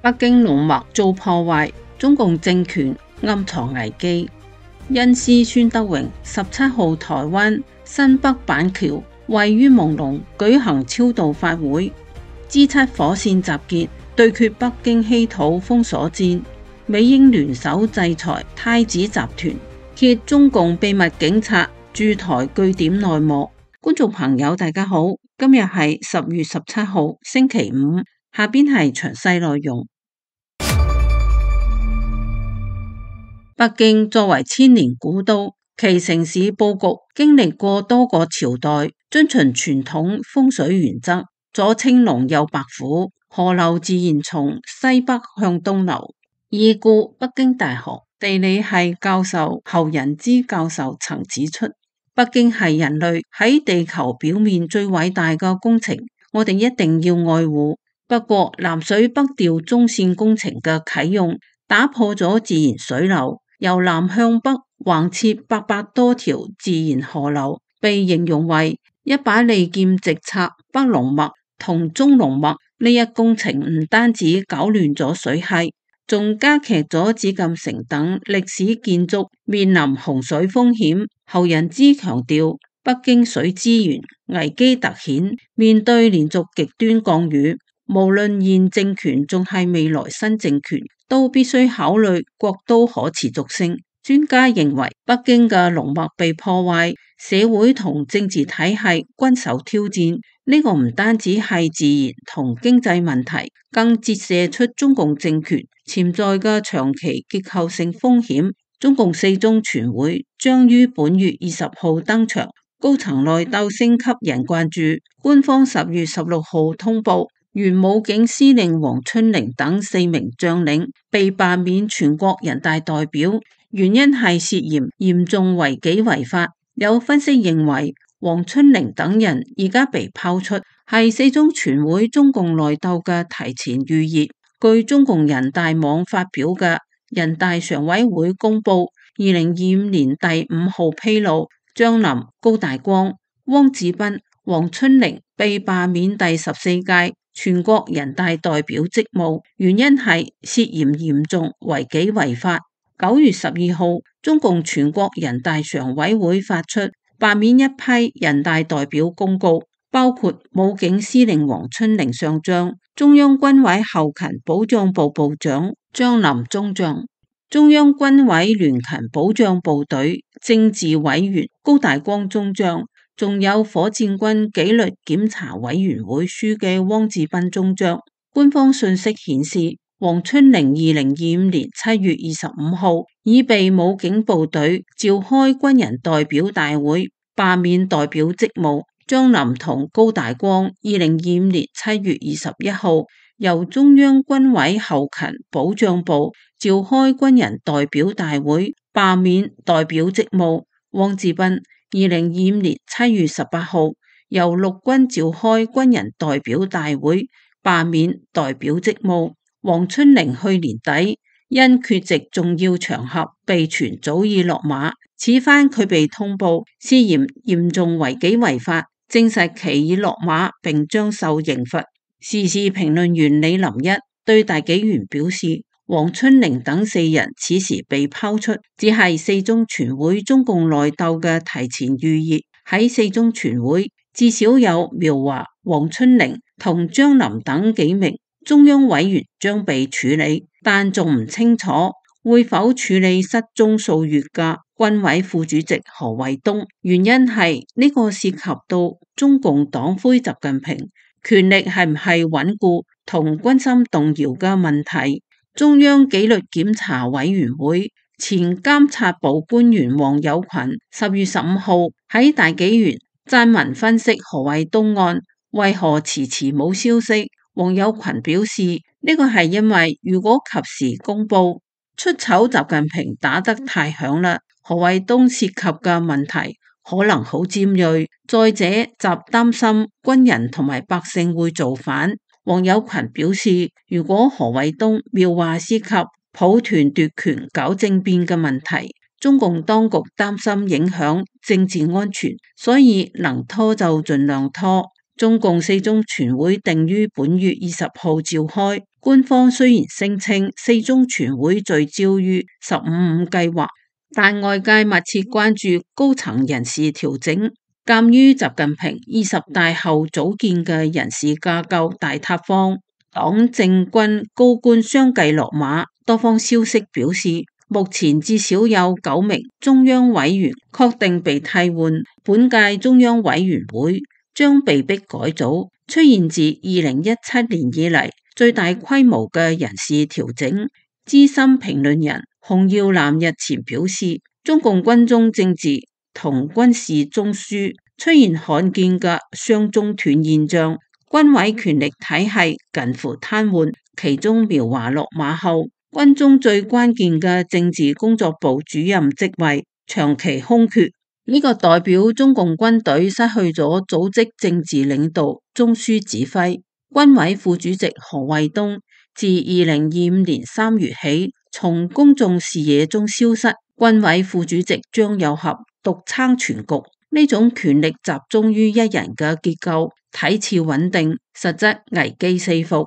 北京龍脈遭破壞，中共政權暗藏危機。恩師孫德榮17號台灣新北板橋位於朦朧舉行超度法會，G7火線集結對決北京稀土封鎖戰，美英聯手制裁太子集團，揭中共秘密警察駐台據點內幕。觀眾朋友大家好，今日係10月17號星期五，下邊係詳細內容。北京作為千年古都，其城市佈局經歷過多個朝代，遵循傳統風水原則，左青龍右白虎，河流自然從西北向東流。已故北京大學地理系教授侯仁之教授曾指出，北京係人類喺地球表面最偉大嘅工程，我哋一定要愛護。不過南水北調中線工程嘅啟用，打破咗自然水流，由南向北橫切800多條自然河流，被形容為一把利劍直插北龍脈同中龍脈。呢一工程唔單止搞亂咗水系，仲加劇咗紫禁城等歷史建築面臨洪水風險。侯仁之強調，北京水資源危機突顯，面對連續極端降雨，無論現政權仲係未來新政權，都必須考慮國都可持續性。專家認為，北京嘅龍脈被破壞，社會同政治體系均受挑戰。呢個唔單止係自然同經濟問題，更折射出中共政權潛在嘅長期結構性風險。中共四中全會將於本月20號登場，高層內鬥升級人關注。官方10月16號通報，原武警司令黃春玲等4名將領被罷免全國人大代表，原因係涉嫌嚴重違紀違法。有分析認為，黃春玲等人而家被拋出，係四中全會中共內鬥嘅提前預熱。據中共人大網發表嘅人大常委會公佈2025年第5號披露，張林、高大光、汪志斌、黃春玲被罷免第14屆全國人大代表職務，原因係涉嫌嚴重違紀違法。9月12號，中共全國人大常委會發出罷免一批人大代表公告，包括武警司令黃春玲上將、中央軍委後勤保障部部長張林中將、中央軍委聯勤保障部隊政治委員高大光中將，仲有火箭軍紀律檢查委員會書記汪志斌中將。官方信息顯示，黃春玲2025年7月25號已被武警部隊召開軍人代表大會罷免代表職務。張林同高大光2025年7月21號由中央軍委後勤保障部召開軍人代表大會罷免代表職務。汪志斌2025年7月18號由陸軍召開軍人代表大會罷免代表職務。黃春玲去年底因缺席重要場合被傳早已落馬，此番佢被通報涉嫌嚴重違紀違法，證實其已落馬並將受刑罰。時事評論員李林一對大紀元表示，黃春玲等4人此時被拋出，只係四中全會中共內鬥嘅提前預熱。喺四中全會至少有苗華、黃春玲同張林等幾名中央委員將被處理，但仲唔清楚會否處理失蹤數月嘅軍委副主席何衛東。原因係呢個涉及到中共黨魁習近平權力係唔係穩固同軍心動搖嘅問題。中央紀律檢查委員會前監察部官員王有群10月15號喺大紀元撰文分析何衛東案為何遲遲冇消息。王有群表示，呢個係因為如果及時公布，出醜習近平打得太響啦，何衛東涉及嘅問題可能好尖銳。再者，習擔心軍人同埋百姓會造反。王有群表示，如果何衛東苗華涉及抱團奪權搞政變嘅問題，中共當局擔心影響政治安全，所以能拖就盡量拖。中共四中全會定於本月20號召開，官方雖然聲稱四中全會聚焦於15+5計劃，但外界密切關注高層人事調整。鑒於習近平20大後組建嘅人事架構大塌方，黨政軍高官相繼落馬，多方消息表示，目前至少有9名中央委員確定被替換，本屆中央委員會將被迫改組，出現自2017年以嚟最大規模嘅人事調整。資深評論人洪耀南日前表示，中共軍中政治同軍事中樞出現罕見嘅雙中斷現象，軍委權力體系近乎癱瘓，其中苗華落馬後，軍中最關鍵嘅政治工作部主任職位長期空缺，呢個代表中共軍隊失去咗組織政治領導中樞指揮。軍委副主席何衛東自2025年3月起從公眾視野中消失，軍委副主席張又俠獨撐全局，呢種權力集中於一人嘅結構睇似穩定，實質危機四伏。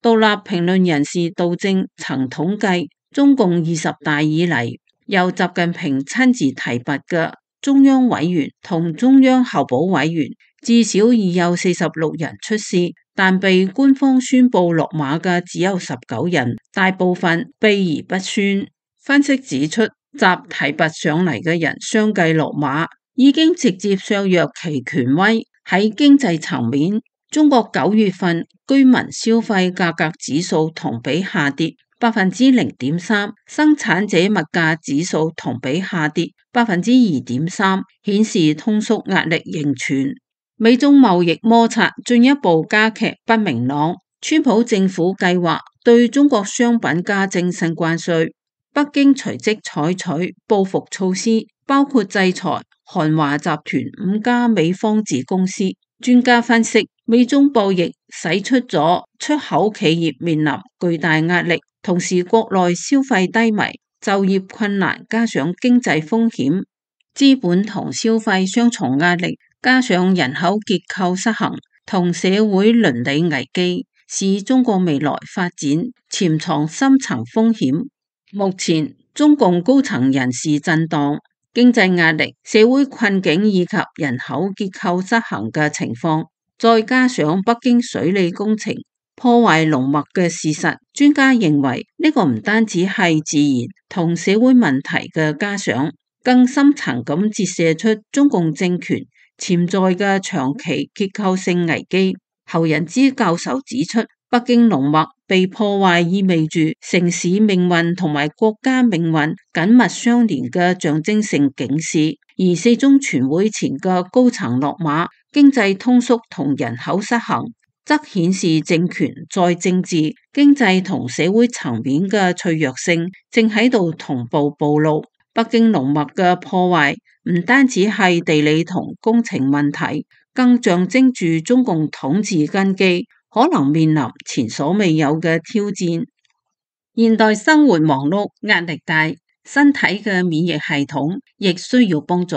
獨立評論人士杜正曾統計，中共20大以嚟由習近平親自提拔嘅中央委員同中央候補委員至少已有46人出事，但被官方宣布落馬嘅只有19人，大部分秘而不宣。分析指出，習提拔上嚟嘅人相繼落馬，已經直接削弱其權威。喺經濟層面，中國9月份居民消費價格指數同比下跌0.3%，生產者物價指數同比下跌2.3%，顯示通縮壓力仍存。美中貿易摩擦進一步加劇不明朗，川普政府計劃對中國商品加徵新關稅，北京隨即採取報復措施，包括制裁韓華集團5家美方子公司。專家分析，美中博弈使出咗出口企業面臨巨大壓力，同時國內消費低迷、就業困難，加上經濟風險，資本同消費雙重壓力，加上人口結構失衡同社會倫理危機，使中國未來發展潛藏深層風險。目前中共高層人事震盪、經濟壓力、社會困境以及人口結構失衡嘅情況，再加上北京水利工程破壞龍脈嘅事實，專家認為呢個唔單止係自然同社會問題嘅加上，更深層咁折射出中共政權潛在嘅長期結構性危機。侯仁之教授指出，北京龍脈被破壞意味住城市命運同埋國家命運緊密相連嘅象徵性警示，而四中全會前嘅高層落馬、經濟通縮同人口失衡，則顯示政權在政治、經濟同社會層面嘅脆弱性正喺度同步暴露。北京龍脈嘅破壞唔單止係地理同工程問題，更象徵住中共統治根基可能面臨前所未有嘅挑戰。現代生活忙碌、壓力大，身體嘅免疫系統亦需要幫助。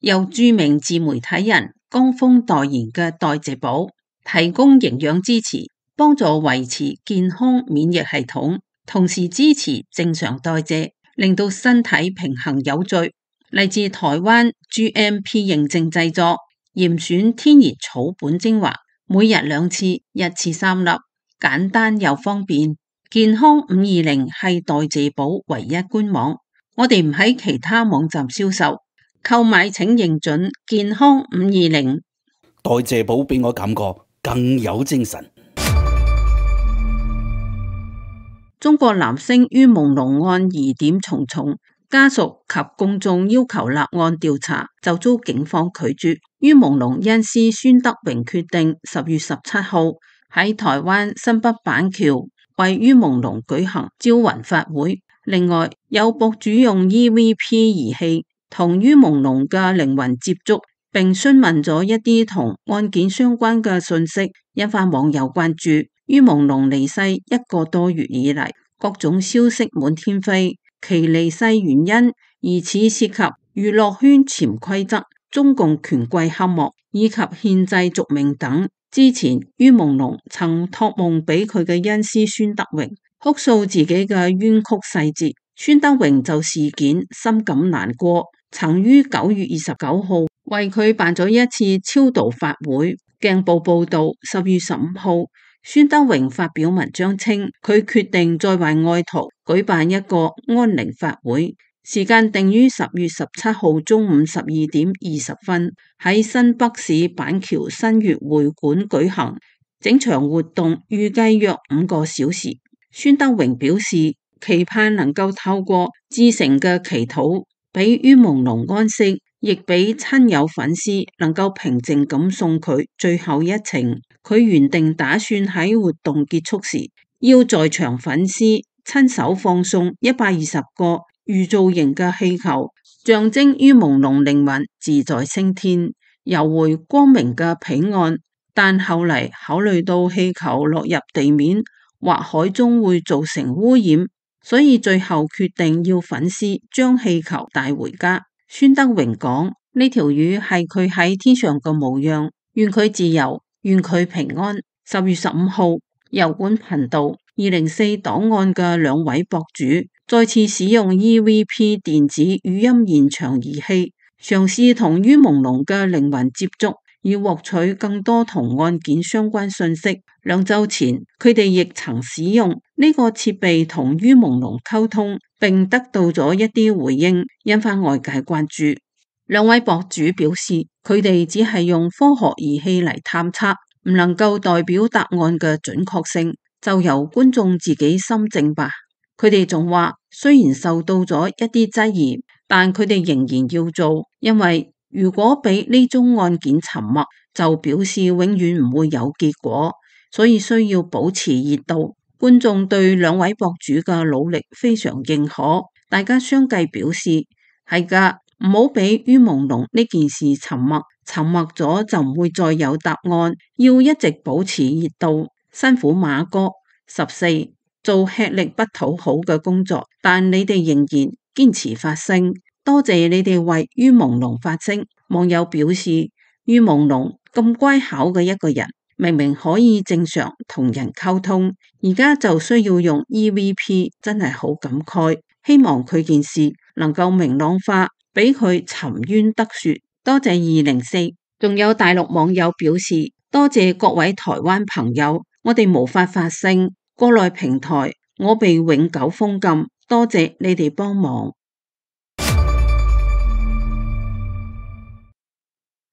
由著名自媒體人江峰代言嘅代謝寶，提供營養支持，幫助維持健康免疫系統，同時支持正常代謝，令到身體平衡有序。嚟自台灣 GMP 認證製作，嚴選天然草本精華，每日2次，1次3粒，簡單又方便。健康520係代謝寶唯一官網，我哋唔喺其他網站銷售，購買請認準健康520。代謝寶俾我感覺更有精神。中國男星于朦朧案疑點重重，家屬及公眾要求立案調查，就遭警方拒絕。于朦朧恩師孫德榮決定10月17號喺台灣新北板橋為于朦朧舉行招魂法會。另外，有博主用 EVP 儀器同于朦朧嘅靈魂接觸，並詢問咗一啲同案件相關嘅信息，引發網友關注。于朦朧離世1個多月以嚟，各種消息滿天飛，其離世原因疑似涉及娛樂圈潛規則、中共權貴黑幕以及憲制續命等。之前于朦朧曾託夢俾佢嘅恩師孫德榮，哭訴自己嘅冤曲細節。孫德榮就事件深感難過，曾於9月29號為佢辦咗一次超度法會。鏡報報道，10月15號，孫德榮發表文章稱，佢決定再為愛徒舉辦一個安寧法會，時間定於10月17號中午12:20喺新北市板橋新月會館舉行。整場活動預計約5個小時。孫德榮表示，期盼能夠透過至誠嘅祈禱，俾于朦朧安息，亦俾親友粉絲能夠平靜咁送佢最後一程。佢原定打算喺活動結束時，要在場粉絲親手放送120個預造型嘅氣球，象徵于朦朧靈魂自在升天，遊回光明嘅彼岸。但後嚟考慮到氣球落入地面或海中會造成污染，所以最後決定要粉絲將氣球帶回家。孫德榮講，呢條魚係佢喺天上嘅模樣，願佢自由，願佢平安。10月15號，油管頻道204檔案嘅2位博主再次使用 EVP 電子語音現場儀器，嘗試同于朦朧嘅靈魂接觸，以獲取更多同案件相關信息。2週前，佢哋亦曾使用呢個設備同于朦朧溝通，並得到咗一啲回應，引發外界關注。2位博主表示，佢哋只係用科學儀器嚟探測，唔能夠代表答案嘅準確性，就由觀眾自己心證吧。佢哋仲話，雖然受到咗一啲質疑，但佢哋仍然要做，因為如果俾呢宗案件沉默，就表示永遠唔會有結果，所以需要保持熱度。觀眾對2位博主嘅努力非常認可，大家相繼表示係㗎，唔好俾于朦朧呢件事沉默，沉默咗就唔會再有答案，要一直保持熱度。辛苦馬哥。14做吃力不討好嘅工作，但你哋仍然堅持發聲，多謝你哋為于朦朧發聲。網友表示，于朦朧咁乖巧嘅一個人，明明可以正常同人溝通，而家就需要用 EVP， 真係好感慨。希望佢件事能夠明朗化，俾佢沉冤得雪。多謝204。仲有大陸網友表示，多謝各位台灣朋友，我哋無法發聲，國內平台我被永久封禁，多謝你哋幫忙。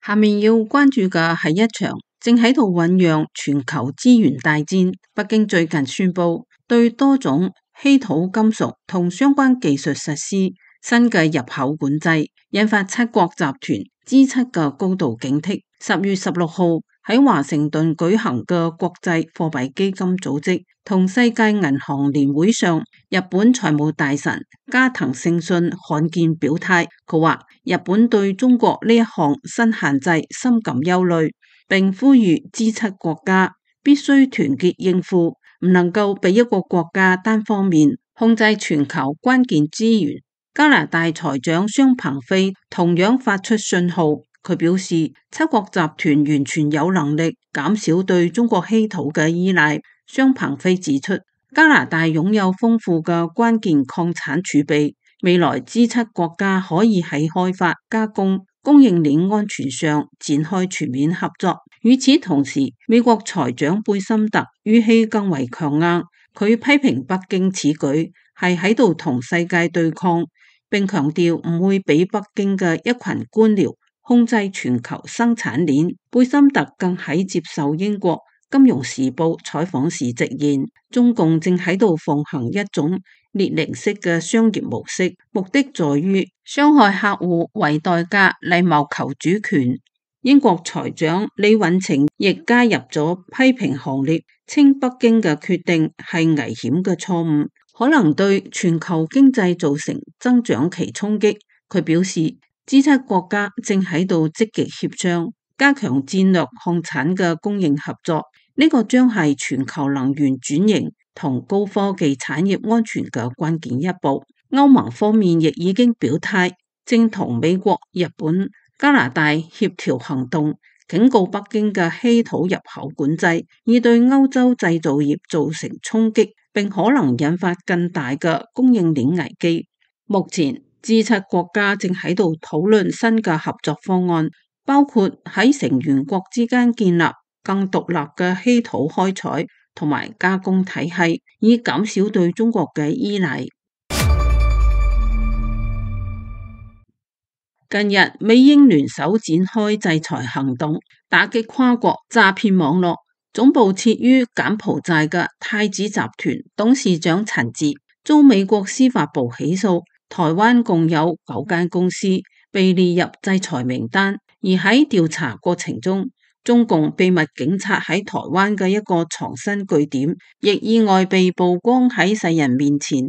下面要關注嘅係一場正喺度醞釀全球資源大戰。北京最近宣布對多種稀土金屬同相關技術實施新嘅入口管制，引發七國集團 G7 嘅高度警惕。10月16號喺華盛頓舉行嘅國際貨幣基金組織同世界銀行年會上，日本財務大臣加藤勝信罕見表態，佢話日本對中國呢一項新限制深感憂慮，並呼籲 G7 國家必須團結應付，唔能夠俾一個國家單方面控制全球關鍵資源。加拿大財長商鵬飛同樣發出信號，佢表示七國集團完全有能力減少對中國稀土嘅依賴。商鵬飛指出，加拿大擁有豐富嘅關鍵礦產儲備，未來 G7 國家可以喺開發、加工、供應鏈安全上展開全面合作。與此同時，美國財長貝森特語氣更為強硬，佢批評北京此舉係喺度同世界對抗，並強調唔會俾北京嘅一群官僚控制全球生產鏈。貝森特更喺接受英國金融時報採訪時直言，中共正喺度奉行一種列寧式嘅商業模式，目的在於傷害客戶為代價嚟謀求主權。英國財長李允晴亦加入咗批評行列，稱北京嘅決定係危險嘅錯誤，可能對全球經濟造成增長期衝擊。佢表示，G7 國家正喺度積極協商，加強戰略礦產嘅供應合作，呢個將係全球能源轉型同高科技產業安全嘅關鍵一步。歐盟方面亦已經表態，正同美國、日本、加拿大協調行動，警告北京嘅稀土入口管制已對歐洲製造業造成衝擊，並可能引發更大嘅供應鏈危機。目前G7國家正喺度討論新嘅合作方案，包括喺成員國之間建立更獨立嘅稀土開採同埋加工體系，以減少對中國嘅依賴。近日，美英聯手展開制裁行動，打擊跨國詐騙網絡。總部設於柬埔寨嘅太子集團董事長陳志遭美國司法部起訴，台灣共有9間公司被列入制裁名單。而喺調查過程中，中共秘密警察喺台灣嘅一個藏身據點，亦意外被曝光喺世人面前。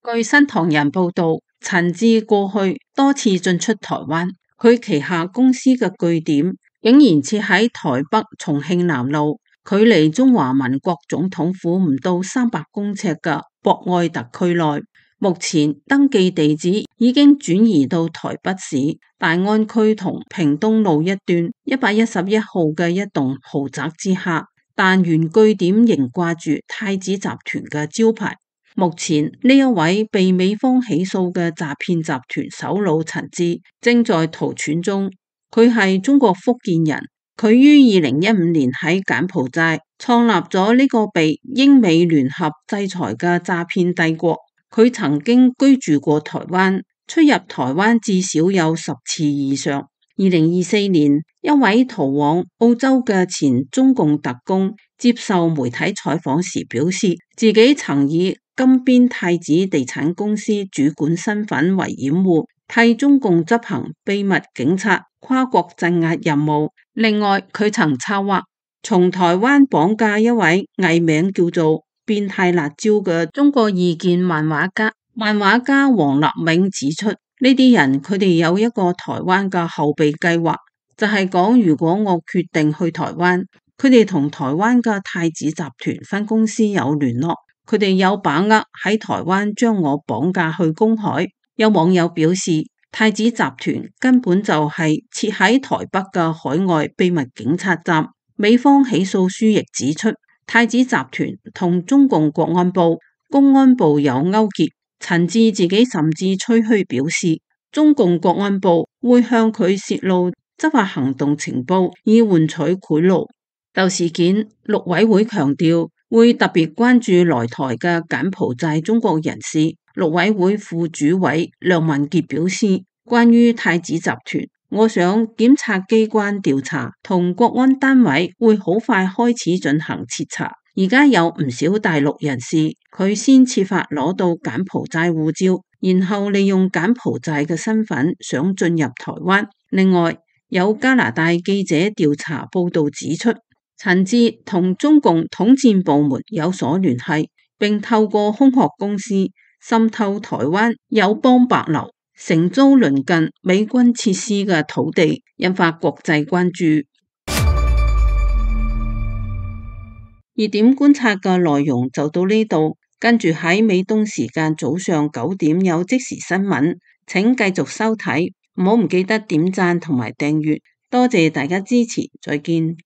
據新唐人報道，陳志過去多次進出台灣，佢旗下公司嘅據點竟然設喺台北重慶南路，距離中華民國總統府唔到300公尺嘅博愛特區內。目前登記地址已經轉移到台北市大安區同屏東路一段111號嘅一棟豪宅之下，但原據點仍掛住太子集團嘅招牌。目前呢一位被美方起訴嘅詐騙集團首腦陳志正在逃竄中，佢係中國福建人，佢於2015年喺柬埔寨創立咗呢個被英美聯合制裁嘅詐騙帝國。佢曾經居住過台灣，出入台灣至少有10次以上。2024年，一位逃往澳洲嘅前中共特工接受媒體採訪時表示，自己曾以金邊太子地產公司主管身份為掩護，替中共執行秘密警察跨國鎮壓任務。另外，佢曾策劃從台灣綁架一位藝名叫做變態辣椒嘅中國異見漫畫家。漫畫家黃立銘指出，呢啲人佢哋有一個台灣嘅後備計劃，就係講如果我決定去台灣，佢哋同台灣嘅太子集團分公司有聯絡，佢哋有把握喺台灣將我綁架去公海。有網友表示，太子集團根本就係設喺台北嘅海外秘密警察站。美方起訴書亦指出，太子集團同中共國安部、公安部有勾結。陳志自己甚至吹噓表示，中共國安部會向佢泄露執法行動情報，以換取賄賂。就事件，陸委會強調會特別關注來台嘅柬埔寨中國人士。陸委會副主委梁文傑表示，關於太子集團，我想檢察機關調查同國安單位會好快開始進行徹查。而家有唔少大陸人士，佢先設法攞到柬埔寨護照，然後利用柬埔寨嘅身份想進入台灣。另外，有加拿大記者調查報道指出，陳志同中共統戰部門有所聯繫，並透過空殼公司滲透台灣友邦帛琉，承租鄰近美軍設施嘅土地，引發國際關注。熱點觀察嘅內容就到呢度，跟住喺美東時間早上9點有即時新聞，請繼續收睇，唔記得點讚同埋訂閱，多謝大家支持，再見。